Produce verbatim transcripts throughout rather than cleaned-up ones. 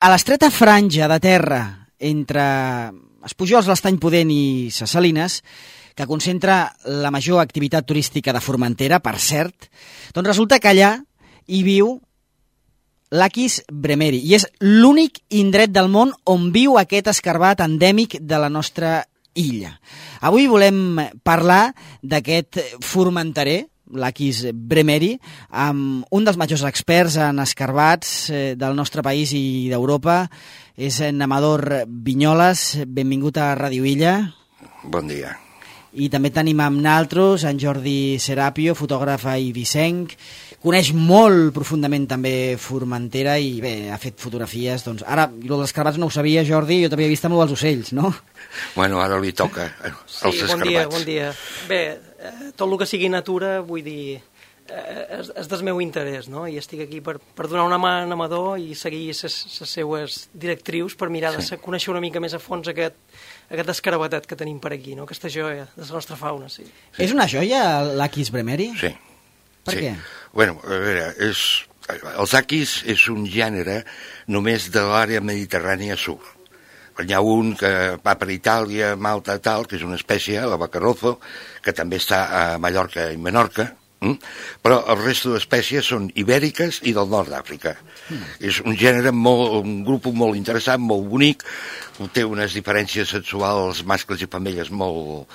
A l'estreta franja de terra entre Espujols, l'Estany Pudent i Ses Salines, que concentra la major activitat turística de Formentera, per cert, doncs resulta que allà hi viu l'Achis bremeri, i és l'únic indret del món on viu aquest escarbat endèmic de la nostra illa. Avui volem parlar d'aquest formenterer, l'Achis bremeri, amb un dels majors experts en escarbats del nostre país i d'Europa. És en Amador Vinyoles. Benvingut a Ràdio Illa. Bon dia. I també tenim amb naltros en Jordi Serapio, fotògraf eivissenc. Coneix molt profundament també Formentera i bé, ha fet fotografies. Doncs ara, el dels escarbats no ho sabia, Jordi, jo t'havia vist amb el dels ocells, no? Bueno, ara li toca als sí, escarbats. Bon dia, bon dia. Bé, tot el que sigui natura, vull dir, és, és del meu interès, no? I estic aquí per, per donar una mà a Amador i seguir les seues directrius per mirar de sí. conèixer una mica més a fons aquest, aquest escarabatet que tenim per aquí, no? Aquesta joia de la nostra fauna, sí. sí. És una joia, l'Achis bremeri? Sí. Per sí. què? Bueno, a veure, és, els Achis és un gènere només de l'àrea mediterrània sud. Hi ha un que va per Itàlia, Malta, tal, que és una espècie, la Bacarrozo, que també està a Mallorca i Menorca, hm? Però el resto d'espècies són ibèriques i del nord d'Àfrica. Mm. És un gènere, molt, un grup molt interessant, molt bonic, té unes diferències sexuals mascles i femelles molt,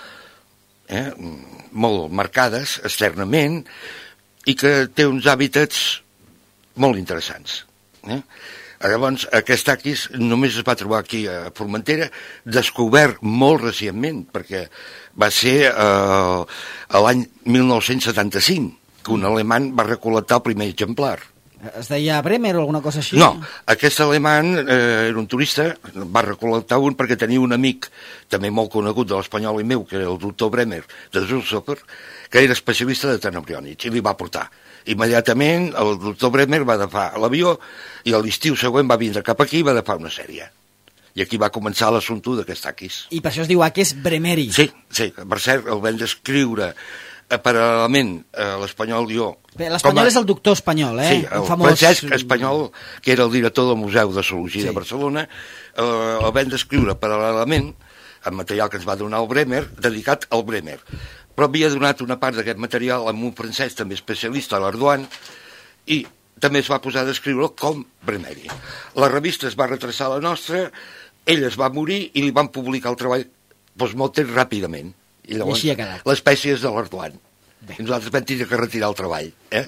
eh, molt marcades externament i que té uns hàbitats molt interessants. Eh? Llavors, aquest Achis només es va trobar aquí a Formentera, descobert molt recentment, perquè va ser eh, l'any mil nou-cents setanta-cinc, que un alemany va recol·lectar el primer exemplar. Es deia Bremer o alguna cosa així? No, aquest alemany eh, era un turista, va recol·lectar un perquè tenia un amic, també molt conegut de l'espanyol i meu, que era el doctor Bremer, de Zulsofer, que era especialista de tenebriònids, i li va portar. Immediatament el doctor Bremer va agafar l'avió i a l'estiu següent va vindre cap aquí i va agafar una sèrie. I aquí va començar l'assumpte d'aquest Achis. I per això es diu Achis bremeri. Sí, sí, per cert, el vam descriure eh, paral·lelament a l'espanyol jo. L'espanyol a... és el doctor espanyol, eh? Sí, el, el famós... Francesc Espanyol, que era el director del Museu de Zoologia sí. de Barcelona, eh, el vam descriure paral·lelament amb material que ens va donar el Bremer, dedicat al Bremer. Però havia donat una part d'aquest material a un francès també especialista, a l'Ardoan, i també es va posar a descriure com bremeri. La revista es va retrasar la nostra, ell es va morir i li van publicar el treball postmortem ràpidament. I llavors I així ha quedat. L'espècie és de l'Ardoan. I nosaltres vam tenir que retirar el treball. Eh?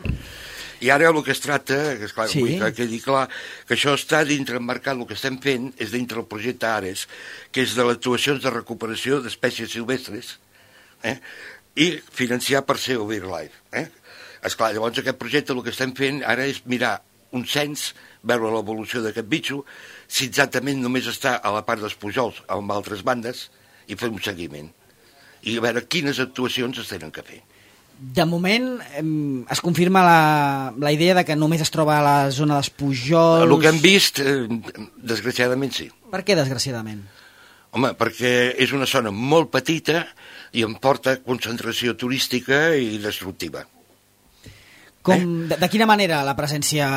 I ara el que es tracta, que és clar, sí. vull que quedi clar, que això està dintre emmarcat, el que estem fent és dintre el projecte Ares, que és de les actuacions de recuperació d'espècies silvestres, eh? i financiar per ser Wildlife. Eh? Esclar, llavors aquest projecte el que estem fent ara és mirar un cens, veure l'evolució d'aquest bitxo, si exactament només està a la part dels Pujols o amb altres bandes, i fer un seguiment. I a veure quines actuacions es tenen que fer. De moment es confirma la, la idea de que només es troba a la zona dels Pujols... El que hem vist, eh, desgraciadament sí. Per què desgraciadament? Home, perquè és una zona molt petita i em porta concentració turística i destructiva. Com, eh? de, de quina manera la presència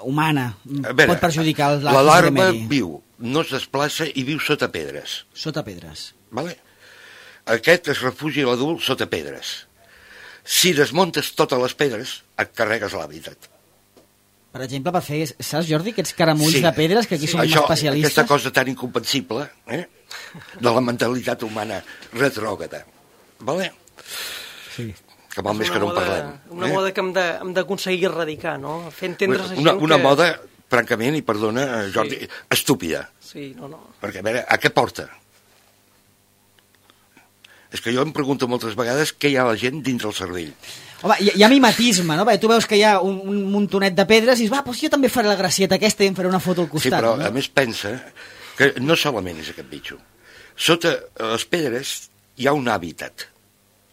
humana veure, pot perjudicar l'Achis la larva bremeri? Viu, no es desplaça i viu sota pedres. Sota pedres. Vale? Aquest es refugia l'adult sota pedres. Si desmuntes totes les pedres, et carregues l'hàbitat. Per exemple, per fer, saps, Jordi, aquests caramulls sí. de pedres, que aquí sí. som Això, especialistes? Aquesta cosa tan incomprensible, eh? de la mentalitat humana retrògrada. Vale? Sí. Que val més que no en parlem. Una eh? moda que hem d'aconseguir erradicar, no? Fer entendre a la gent una, una que... moda, francament, i perdona, Jordi, sí. estúpida. Sí, no, no. Perquè, a veure, a què porta? És que jo em pregunto moltes vegades què hi ha a la gent dintre el cervell. Home, hi, hi ha mimetisme, no? Perquè tu veus que hi ha un, un muntonet de pedres i dius, va, doncs jo també faré la gracieta aquesta i em faré una foto al costat. Sí, però no? a més pensa que no solament és aquest bitxo. Sota les pedres hi ha un hàbitat,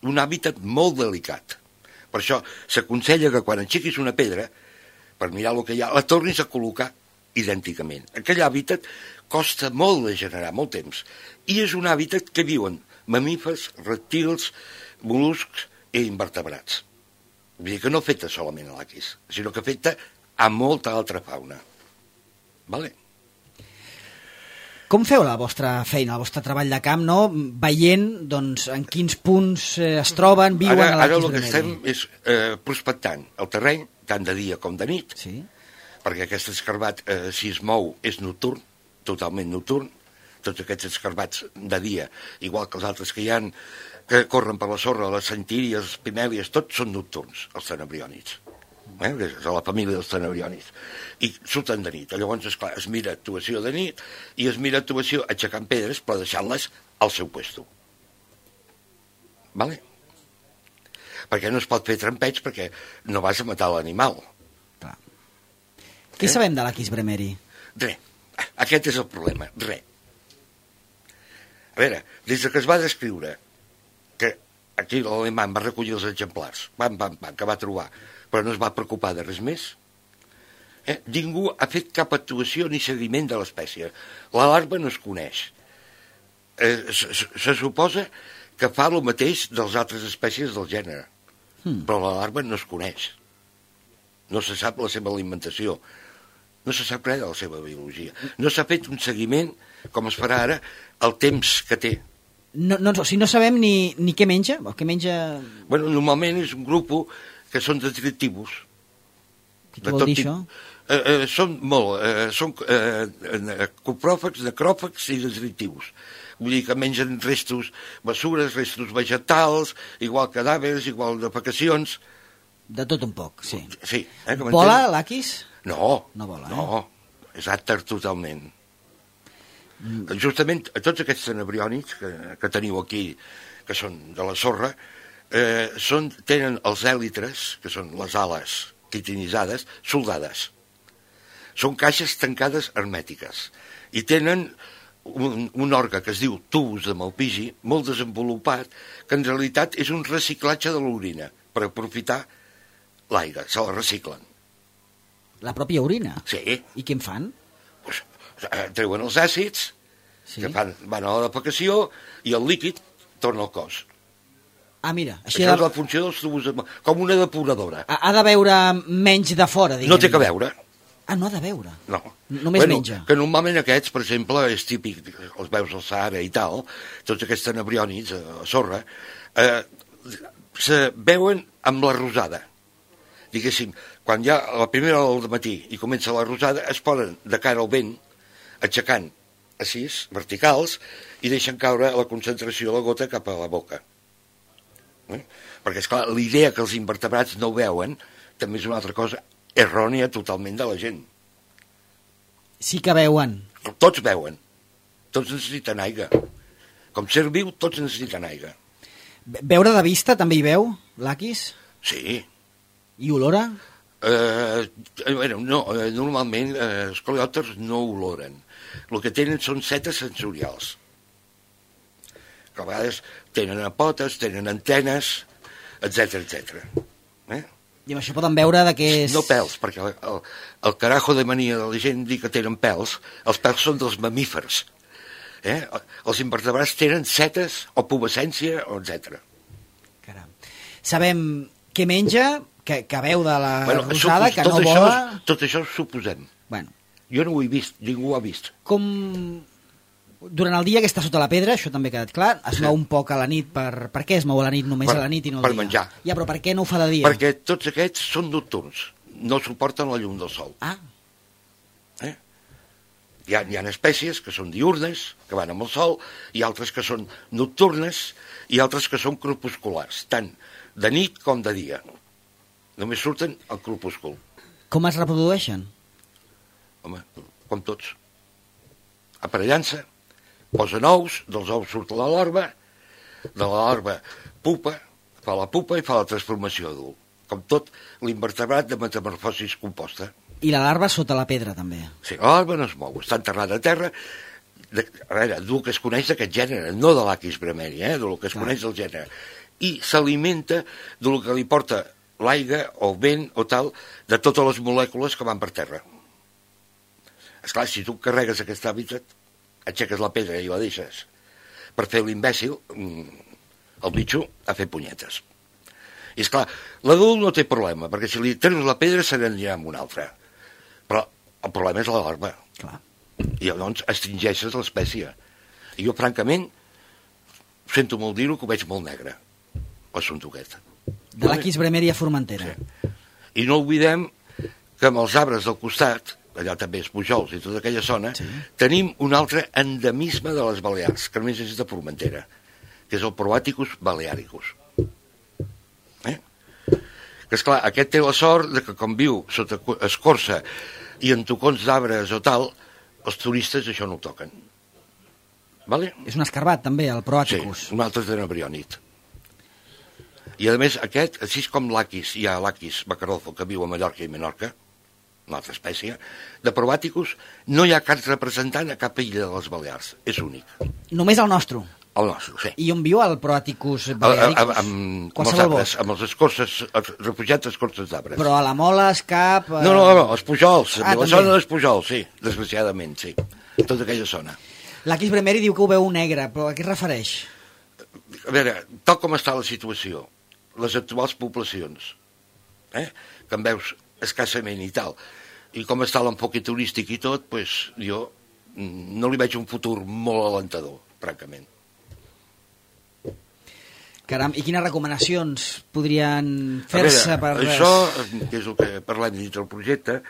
un hàbitat molt delicat. Per això s'aconsella que quan aixequis una pedra, per mirar el que hi ha, la tornis a col·locar idènticament. Aquell hàbitat costa molt de generar, molt temps, i és un hàbitat que viuen mamífers, reptils, mol·luscs i invertebrats. Vull dir que no afecta solament a l'Achis, sinó que afecta a molta altra fauna. Vale? Com feu la vostra feina, el vostre treball de camp, no? Veient doncs, en quins punts eh, es troben, viuen ara, a ara l'Aquis el que Bromeri? estem és eh, prospectant el terreny, tant de dia com de nit, Sí. perquè aquest escarbat, eh, si es mou, és nocturn, totalment nocturn. Tots aquests escarbats de dia, igual que els altres que hi ha, que corren per la sorra, les centíries, les pimèlies, tots són nocturns, els tenebriònids. Eh? És a la família dels tenebriònids. I surten de nit. Llavors, esclar, es mira actuació de nit i es mira actuació aixecant pedres, però deixant-les al seu puesto. Vale? Perquè no es pot fer trampeig perquè no vas a matar l'animal. Clar. Què Eh? sabem de l'Aquis Bromeri? Res. Aquest és el problema. Res. A veure, des que es va descriure que aquí l'alemany va recollir els exemplars, pam, pam, pam, que va trobar, però no es va preocupar de res més, eh? Ningú ha fet cap actuació ni seguiment de l'espècie. La larva no es coneix. Eh, se, se suposa que fa el mateix dels altres espècies del gènere, hmm. però la larva no es coneix. No se sap la seva alimentació. No se sap res de la seva biologia. No s'ha fet un seguiment, com es farà ara, el temps que té. No, no, o sigui, no sabem ni, ni què menja? O què menja... Bueno, normalment és un grup que són detritivos. Què vol dir això? Eh, eh, són molt, eh, són eh, copròfags, necròfags i detritivos. Vull dir que mengen restos, bessures, restos vegetals, igual cadàvers, igual defecacions. De tot un poc, sí. Sí. Eh, Vola l'Aquis? No, no, vola, eh? no, és àter totalment. Mm. Justament tots aquests tenebriònids que, que teniu aquí, que són de la sorra, eh, són, tenen els èlitres, que són les ales quitinitzades, soldades. Són caixes tancades hermètiques i tenen un, un òrgan que es diu tubus de Malpighi, molt desenvolupat, que en realitat és un reciclatge de l'orina per aprofitar l'aire, se la reciclen. La pròpia orina? Sí. I què en fan? Pues, eh, treuen els àcids, sí. que fan, van a la defecació, i el líquid torna al cos. Ah, mira. Així Això de... és la funció dels tubus, de... com una depuradora. Ha, ha de veure menys de fora, diguem. No té que veure. Ah, no ha de veure? No. Només bueno, menja. Que normalment aquests, per exemple, és típic, els veus al Sahara i tal, tots aquests tenebriònids a la sorra, eh, se veuen amb la rosada. Diguéssim, quan hi ha la primera hora del matí i comença la rosada, es ponen de cara al vent, aixecant així, verticals, i deixen caure la concentració de la gota cap a la boca. Eh? Perquè, esclar, l'idea que els invertebrats no veuen també és una altra cosa errònia totalment de la gent. Sí que veuen. Tots veuen. Tots necessiten aigua. Com ser viu, tots necessiten aigua. Veure de vista també hi veu, l'Aquis? Sí. I olora? Eh, bueno, no, eh, normalment eh, els coleòpters no oloren. El que tenen són setes sensorials. Que a vegades tenen potes, tenen antenes, etcètera, etcètera. Eh? I amb això poden veure de què és... No pèls, perquè el, el, el carajo de mania de la gent dir que tenen pèls, els pèls són dels mamífers. Eh? Els invertebrats tenen setes o pubescència, etcètera. Caram. Sabem què menja, que, que veu de la bueno, rosada, supos, que no això, vola... Tot això ho suposem. Bueno. Jo no ho he vist, ningú ho ha vist. Com... Durant el dia que està sota la pedra, això també ha quedat clar, es sí. mou un poc a la nit. Per, per què es mou a la nit, només per, a la nit i no al per dia? Per menjar. Ja, però per què no ho fa de dia? Perquè tots aquests són nocturns, no suporten la llum del sol. Ah. Eh? Hi ha, hi ha espècies que són diurnes, que van amb el sol, i altres que són nocturnes, i altres que són crepusculars, tant de nit com de dia. Només surten al crepúscul. Com es reprodueixen? Home, com tots. Aparellant-se, posen ous, dels ous surt la larva, de la larva pupa, fa la pupa i fa la transformació adult. Com tot l'invertebrat de metamorfosis composta. I la larva sota la pedra, també. Sí, la larva no es mou, està enterrada a terra, de, a veure, del que es coneix d'aquest gènere, no de l'Aquis bromeri, eh, del que es Clar. coneix del gènere. I s'alimenta del que li porta l'aigua o el vent o tal, de totes les molècules que van per terra. Esclar, si tu carregues aquest hàbitat, aixeques la pedra i la deixes per fer l'imbècil, el bitxo ha fet punyetes. I esclar, l'adult no té problema, perquè si li treus la pedra se n'anirà amb una altra. Però el problema és la larva. Clar. I llavors extingeixes l'espècie. I jo, francament, sento molt dir-ho, que ho veig molt negre, l'assumpte aquest. De l'Aquis bremeri a Formentera. Sí. I no oblidem que amb els arbres del costat, allà també és Pujols i tota aquella zona, sí. tenim un altre endemisme de les Balears, que només és de Formentera, que és el Proaticus balearicus. Eh? Que, esclar, aquest té la sort de que, com viu sota escorça i en tocons d'arbres o tal, els turistes això no ho toquen. Vale? És un escarbat, també, el Proaticus. Sí, un altre de Nebrionit. I, a més, aquest, així com l'Aquis, hi ha l'Aquis bacarofo, que viu a Mallorca i Menorca, una altra espècie, de Proaticus no hi ha cap representant a cap illa de les Balears. És únic. Només el nostre? El nostre, sí. I on viu el Proaticus balearicus? Amb, amb, amb els arbres, amb els escorces, els refugiats escorces d'arbres. Però a la Mola, Escap... No, no, no, els Pujols, ah, la zona dels Pujols, sí, desgraciadament, sí. Tota aquella zona. L'Aquis bremeri diu que ho veu negre, però a què es refereix? A veure, tal com està la situació, les actuals poblacions, eh, que en veus escassament i tal, i com està l'enfoque turístic i tot, pues, jo no li veig un futur molt alentador, francament. Caram, i quines recomanacions podrien fer-se per... Això, que és el que parlem dins del projecte,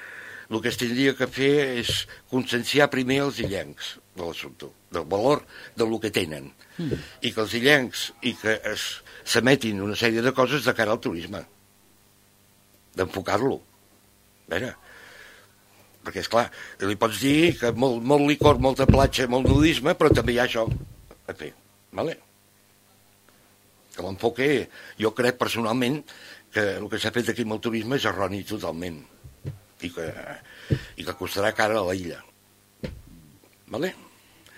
el que es tindria que fer és conscienciar primer els illencs de l'assumpte, del valor del que tenen, mm. i que els illencs i que s'emetin una sèrie de coses de cara al turisme, d'enfocar-lo. A veure, perquè, esclar, li pots dir que molt, molt licor, molta platja, molt nudisme, però també hi ha això a fer, vale? Que l'enfoque, jo crec personalment que el que s'ha fet aquí amb el turisme és erroni totalment, i que, i que costarà cara a la illa. Vale?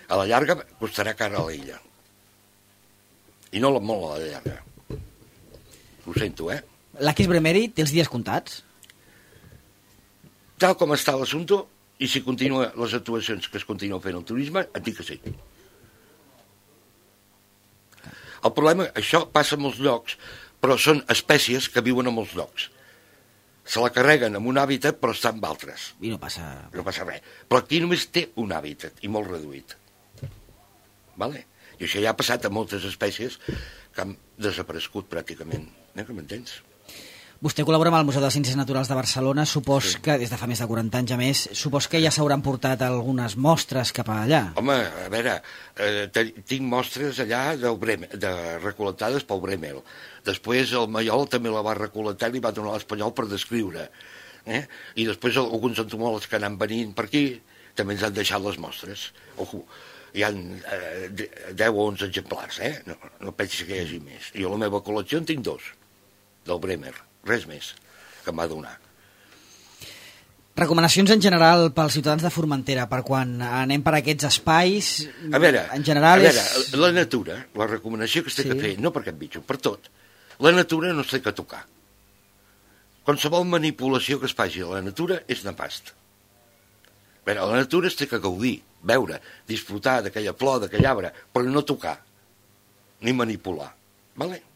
A la llarga costarà cara a la illa. I no molt a la llarga. Ho sento, eh? L'Aquis bremeri té els dies comptats? Tal com està l'assumpte, i si continua les actuacions que es continua fent el turisme, et dic que sí. El problema, això passa en molts llocs, però són espècies que viuen en molts llocs. Se la carreguen en un hàbitat, però està en altres. I no passa... No passa res. Però aquí només té un hàbitat, i molt reduït. Vale? I això ja ha passat a moltes espècies que han desaparegut pràcticament. Eh, que m'entens? Vostè col·labora amb el Museu de Ciències Naturals de Barcelona, supos sí. que des de fa més de quaranta anys a més, supos que ja s'hauran portat algunes mostres cap allà. Home, a veure, eh, tinc mostres allà del Bremel, de recol·lectades pel Bremel. Després el Maiol també la va recol·lectar i li va donar a l'Espanyol per descriure. Eh? I després alguns entomòlegs que anant venint per aquí també ens han deixat les mostres. Ojo, hi ha eh, deu o onze exemplars, eh? No, no pensis que hi hagi més. I a la meva col·lecció en tinc dos, del Bremer. Res més que em va donar. Recomanacions en general pels ciutadans de Formentera, per quan anem per aquests espais, a veure, en general a veure, és... la natura, la recomanació que es té sí. que fer, no per aquest bitxo, per tot, la natura no es té que tocar. Qualsevol manipulació que es faci a la natura és nefast. A veure, la natura es té que gaudir, veure, disfrutar d'aquella flor, d'aquell arbre, però no tocar, ni manipular. Vale?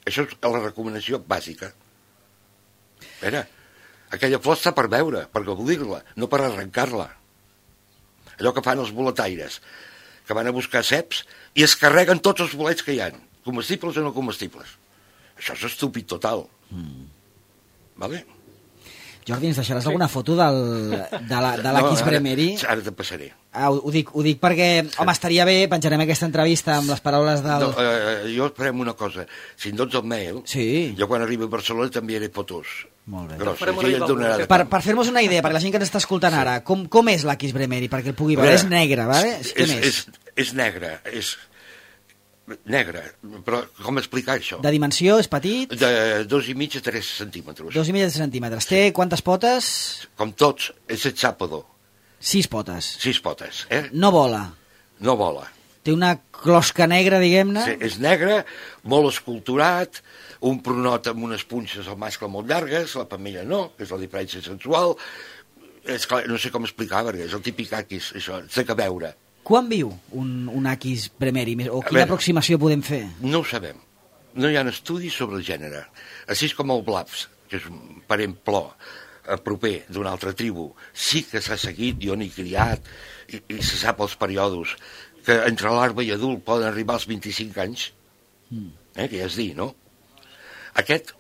Això és la recomanació bàsica. A veure, aquella flor està per veure, per gaudir-la, no per arrencar-la. Allò que fan els boletaires, que van a buscar ceps i es carreguen tots els bolets que hi ha, comestibles o no comestibles. Això és estúpid total. Mm. Vale? Jordi, ens deixaràs sí. alguna foto del, de l'Aquis la, no, bremeri? Ara te passaré. Ah, ho, ho, dic, ho dic perquè, sí. home, estaria bé, penjarem aquesta entrevista amb les paraules del... No, eh, jo farem una cosa, si em dones el mail, sí. jo quan arribi a Barcelona t'enviaré fotos. Molt bé. Grosses, ja et donarà per per fer-nos una idea, perquè la gent que ens està escoltant sí. ara, com, com és l'Aquis bremeri, perquè el pugui veure? És negre, vale? És, Què és, més? És, és negre, és... negre, però com explicar això? De dimensió, és petit? De dos i mig a tres centímetres. Dos i mig a tres centímetres. Té quantes potes? Com tots, és hexàpodo. Sis potes. Sis potes, eh? No vola. No vola. Té una closca negra, diguem-ne? Sí, és negre, molt esculturat, un pronot amb unes punxes al mascle molt llargues, la femella no, que és la diferència sensual. És clar, no sé com explicar, perquè és el típic aquis, això, té que veure. Quan viu un, un Aquis bremeri? O quina veure, aproximació podem fer? No ho sabem. No hi ha estudis sobre el gènere. Així com el Blafs, que és un parent plor, proper d'una altra tribu, sí que s'ha seguit, jo n'he criat, i, i se sap els períodes, que entre l'arba i adult poden arribar als vint-i-cinc anys, eh, que ja és dir, no? Aquest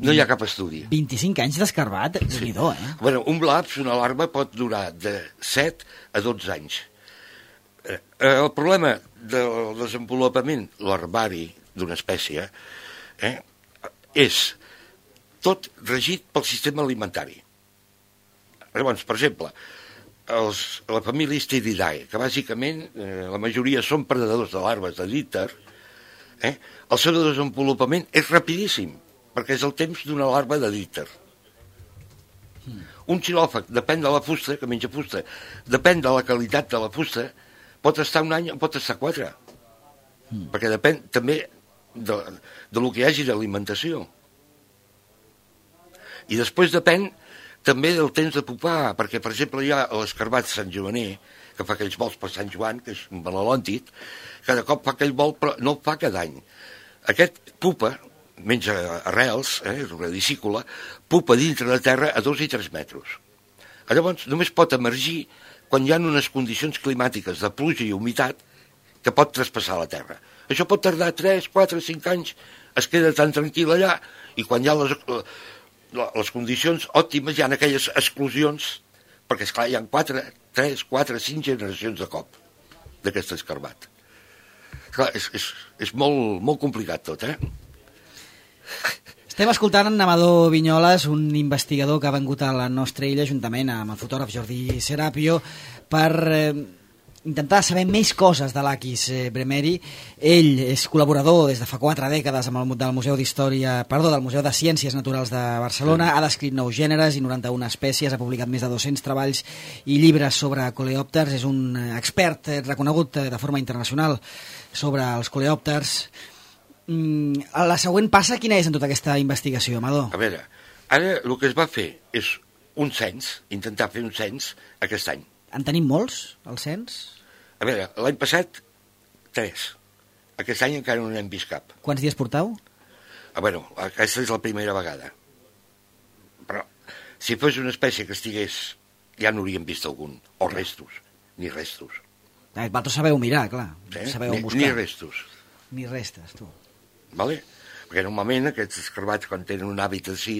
no hi ha cap estudi. vint-i-cinc anys d'escarbat, sí. Déu-n'hi-do, eh? Bueno, un laps, una larva, pot durar de set a dotze anys. Eh, el problema del desenvolupament larvari d'una espècie eh, és tot regit pel sistema alimentari. Llavors, per exemple, els, la família Stiridae, que bàsicament eh, la majoria són predadors de larves de dípter, eh, el seu desenvolupament és rapidíssim, perquè és el temps d'una larva de dípter. Un xilòfag, depèn de la fusta, que menja fusta, depèn de la qualitat de la fusta, pot estar un any o pot estar quatre. Mm. Perquè depèn també de, de lo que hi hagi d'alimentació. I després depèn també del temps de pupar, perquè, per exemple, hi ha l'escarbat Sant Joaner, que fa aquells vols per Sant Joan, que és un balolòntic, cada cop fa aquell vol, però no el fa cada any. Aquest pupa, menja arrels, eh, és una discícula, pupa dintre de terra a dos i tres metres. Llavors, només pot emergir quan hi ha unes condicions climàtiques de pluja i humitat que pot traspassar la terra. Això pot tardar tres, quatre, cinc anys, es queda tan tranquil allà, i quan hi ha les, les condicions òptimes hi ha aquelles exclusions, perquè, esclar, hi ha quatre, tres, quatre, cinc generacions de cop d'aquest escarbat. Esclar, és, és, és molt, molt complicat tot, eh? Estem escoltant en Amador Vinyoles, un investigador que ha vengut a la nostra illa juntament amb el fotògraf Jordi Serapio per eh, intentar saber més coses de l'Aquis eh, Bremeri. Ell és col·laborador des de fa quatre dècades amb el del Museu d'Història, perdó, del Museu de Ciències Naturals de Barcelona, ha descrit nou gèneres i noranta-una espècies, ha publicat més de dos-cents treballs i llibres sobre coleòpters, és un expert reconegut de forma internacional sobre els coleòpters. La següent passa, quina és en tota aquesta investigació, Amador? A veure, ara el que es va fer és un cens, intentar fer un cens aquest any. En tenim molts, el cens? A veure, l'any passat, tres. Aquest any encara no n'hem vist cap. Quants dies portau? A veure, aquesta és la primera vegada. Però, si fos una espècie que estigués, ja n'hauríem vist algun, o restos, ni restos. Ah, vosaltres sabeu mirar, clar, sí? sabeu ni, buscar. Ni restos. Ni restes, tu. Vale? Perquè normalment aquests escarbats, quan tenen un hàbitat així,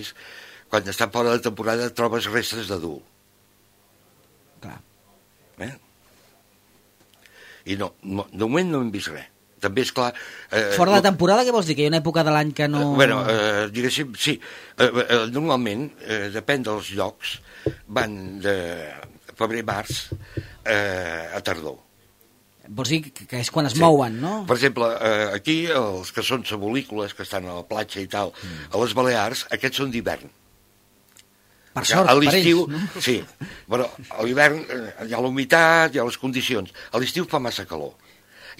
quan estan fora de temporada trobes restes d'adult. Clar. Eh? I no, no, de moment no hem vist res. També és clar... Eh, fora de temporada, què vols dir? Que hi ha una època de l'any que no... Eh, bueno, eh, diguéssim, sí. Eh, eh, normalment, eh, depèn dels llocs, van de febrer-març eh, a tardor. Vols dir que és quan es sí. mouen, no? Per exemple, eh, aquí, els que són sabolícoles, que estan a la platja i tal, mm. a les Balears, aquests són d'hivern. Per sort, per ells, no? Sí, però a l'hivern eh, hi ha la humitat, hi ha les condicions. A l'estiu fa massa calor.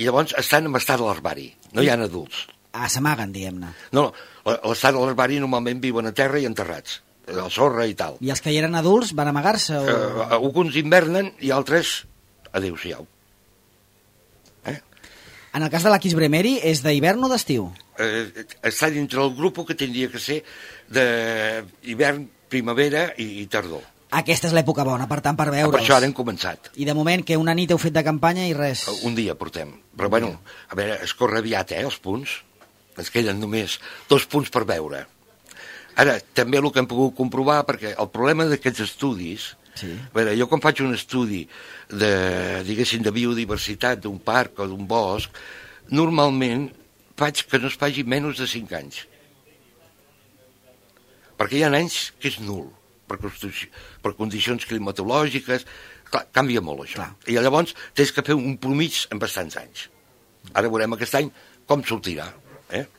I llavors estan en estat de l'herbari, no hi ha adults. Ah, s'amaguen, diguem-ne. No, no, l'estat de l'herbari normalment viuen a terra i enterrats, a la sorra i tal. I els que hi eren adults van amagar-se? O... Eh, alguns invernen i altres, adéu-siau. En el cas de l'Aquis Bremeri, és d'hivern o d'estiu? Eh, està dintre el grup que tindria que ser d'hivern, primavera i, i tardor. Aquesta és l'època bona, per tant, per veure'ls. Per això ara hem començat. I de moment, que una nit heu fet de campanya i res? Un dia portem. Però, un bueno, dia. A veure, es corre aviat, eh, els punts. Ens queden només dos punts per veure. Ara, també el que hem pogut comprovar, perquè el problema d'aquests estudis... Sí. A veure, jo quan faig un estudi de, diguéssim, de biodiversitat d'un parc o d'un bosc, normalment faig que no es faci menys de cinc anys. Perquè hi ha anys que és nul, per, per condicions climatològiques, clar, canvia molt això. Clar. I llavors tens que fer un promig en bastants anys. Ara veurem aquest any com sortirà, eh?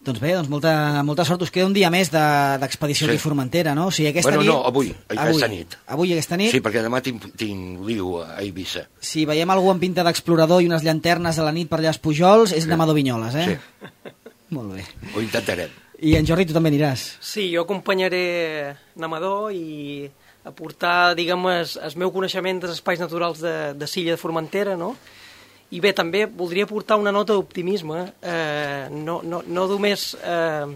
Doncs bé, doncs molta, molta sort. Us queda un dia més d'expedició de, sí. aquí a Formentera, no? O sigui, aquesta bueno, nit... no, avui, aquesta avui, nit. Avui, aquesta nit? Sí, perquè demà tinc, tinc liu a Eivissa. Si veiem algú amb pinta d'explorador i unes llanternes a la nit per allà als Pujols, és sí. Amador Vinyoles, eh? Sí. Molt bé. Ho intentarem. I en Jordi, tu també aniràs? Sí, jo acompanyaré Amador i aportar, diguem, el, el meu coneixement dels espais naturals de, de Silla de Formentera, no? I bé, també voldria portar una nota d'optimisme. Eh, no, no, no només eh,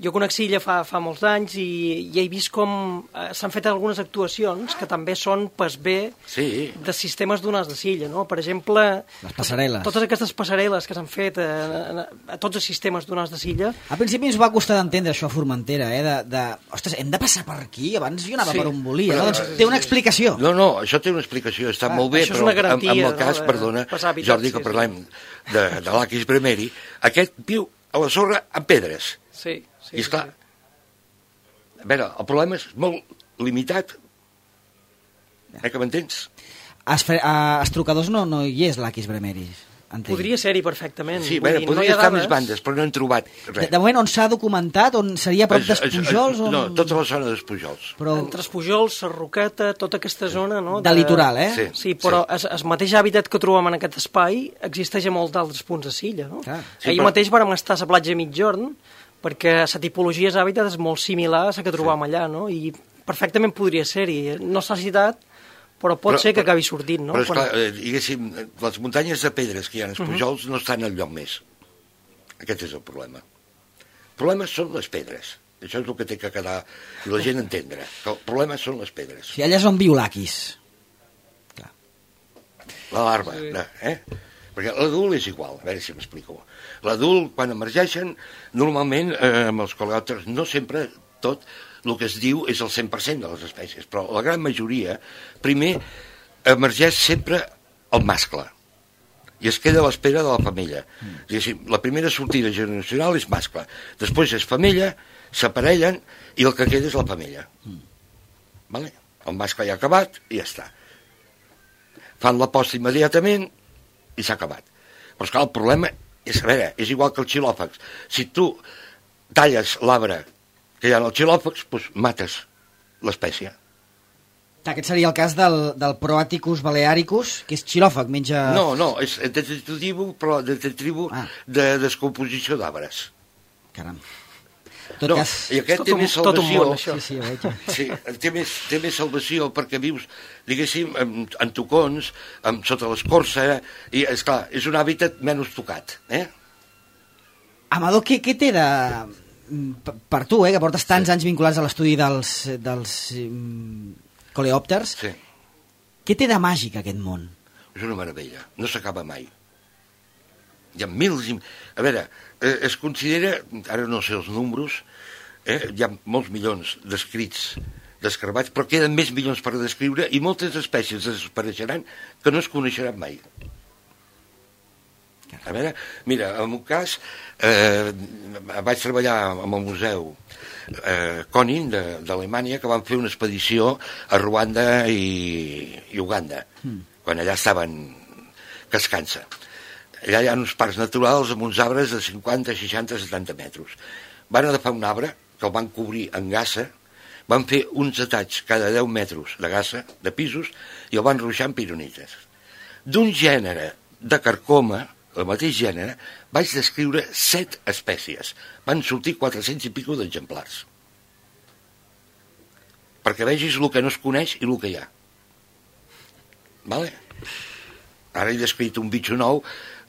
Jo conec Silla fa, fa molts anys i, i he vist com eh, s'han fet algunes actuacions que també són pas bé sí. de sistemes d'onades de Silla, no? Per exemple... Les passarel·les. Totes aquestes passarel·les que s'han fet a, a, a tots els sistemes d'onades de Silla. Al principi ens va costar d'entendre això a Formentera, eh? De, de, ostres, hem de passar per aquí? Abans jo anava sí, per on volia. però, No? Doncs té una explicació. No, no, això té una explicació, està Ah, molt bé, això és però una garantia, en, en el no, cas, de perdona, passar hàbitats, Jordi, que sí, parlem de, de l'Aquis Bremeri, aquest viu a la sorra amb pedres. Sí, sí. I esclar, sí. a veure, el problema és molt limitat. Eh, que m'entens? A, Esfre- a Estrucadors no, no hi és l'Aquis Bremeris. Entenc. Podria ser-hi perfectament. Sí, Vull bé, dir, podria no hi ha estar dades. més bandes, però no hem trobat De, res. de moment, on s'ha documentat, on seria a prop És- és- d'Espujols? On... No, tota la zona d'Espujols. Però Entre Espujols, Sarroqueta, tota aquesta zona... No, de litoral, eh? Sí. Sí, però sí. El, el mateix hàbitat que trobem en aquest espai existeix a molts d'altres punts de Silla, no? Clar. Sí, Ahir però- mateix vàrem estar a la platja Mitjorn, perquè la tipologia d'hàbitat és molt similar a la que trobam allà, no? I perfectament podria ser-hi. No s'ha citat, però pot Però- ser que però- acabi sortint, no? Però, esclar, Quan- eh, diguéssim, les muntanyes de pedres que hi ha en Espujols no estan enlloc més. Aquest és el problema. El problema són les pedres. Això és el que té que quedar i la gent entendre. Que el problema són les pedres. si allà és on viu l'Aquis. La larva, Sí. eh? Perquè l'adult és igual, a veure si m'explico. L'adult, quan emergeixen, normalment, eh, amb els coleòpters, no sempre tot el que es diu és el cent per cent de les espècies, però la gran majoria, primer, emergeix sempre el mascle i es queda a l'espera de la femella. Mm. La primera sortida generacional és mascle, després és femella, s'aparellen i el que queda és la femella. Mm. Vale? El mascle ja ha acabat i ja està. Fan la posta immediatament i s'ha acabat. Però esclar, el problema és, a veure, és igual que els xilòfags. Si tu talles l'arbre que hi ha en els xilòfags, doncs mates l'espècie. Aquest seria el cas del, del Proaticus balearicus, que és xilòfag, menja... No, no, és detritiu, però detritiu Ah. de descomposició d'arbres. Caram. En tot No, cas... i aquest Tot té un- més tot un salvació. món, això. Sí, sí, ho veig. Sí, té més, té més salvació perquè vius, diguéssim, en, en tocons, en, sota l'escorça, i, esclar, és un hàbitat menys tocat, eh? Amador, què, què té de... Per, per tu, eh, que portes tants anys vinculats a l'estudi dels, dels um, coleòpters, Sí, què té de màgic aquest món? és una meravella, no s'acaba mai. Hi ha mils i... A veure, eh, es considera, ara no sé els números, eh, hi ha molts milions d'escrits descarbats, però queden més milions per descriure i moltes espècies desapareixeran que no es coneixeran mai. A veure, mira, en un cas eh, vaig treballar amb el museu eh, Konin d'Alemanya, que van fer una expedició a Ruanda i, i Uganda, mm. quan allà estaven cascant-se. Allà hi ha uns parcs naturals amb uns arbres de cinquanta, seixanta, setanta metres. Van agafar un arbre que el van cobrir amb gassa, van fer uns detalls cada deu metres de gassa, de pisos, i el van ruixar amb pironites. D'un gènere de carcoma, el mateix gènere, vaig descriure set espècies. Van sortir quatre-cents i pico d'exemplars. Perquè vegis el que no es coneix i el que hi ha. Vale? Ara he descrit un bitxo nou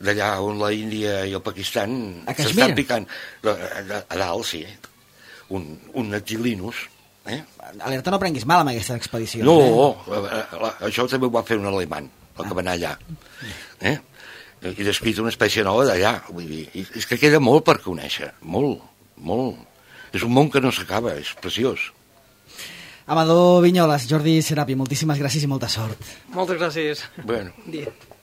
d'allà on la Índia i el Pakistan A Caixmir? s'estan picant. A, a, a dalt, sí. Un, un Atilinus. Eh? Alerta, no prenguis mal amb aquesta expedició. No, Eh? la, la, això també ho va fer un alemany, el que va anar allà. Eh? I descrit una espècie nova d'allà. Vull dir, és que queda molt per conèixer, molt, molt. És un món que no s'acaba, és preciós. Amador Vinyoles, Jordi Serapi, moltíssimes gràcies i molta sort. Moltes gràcies. Bueno. Bon dia.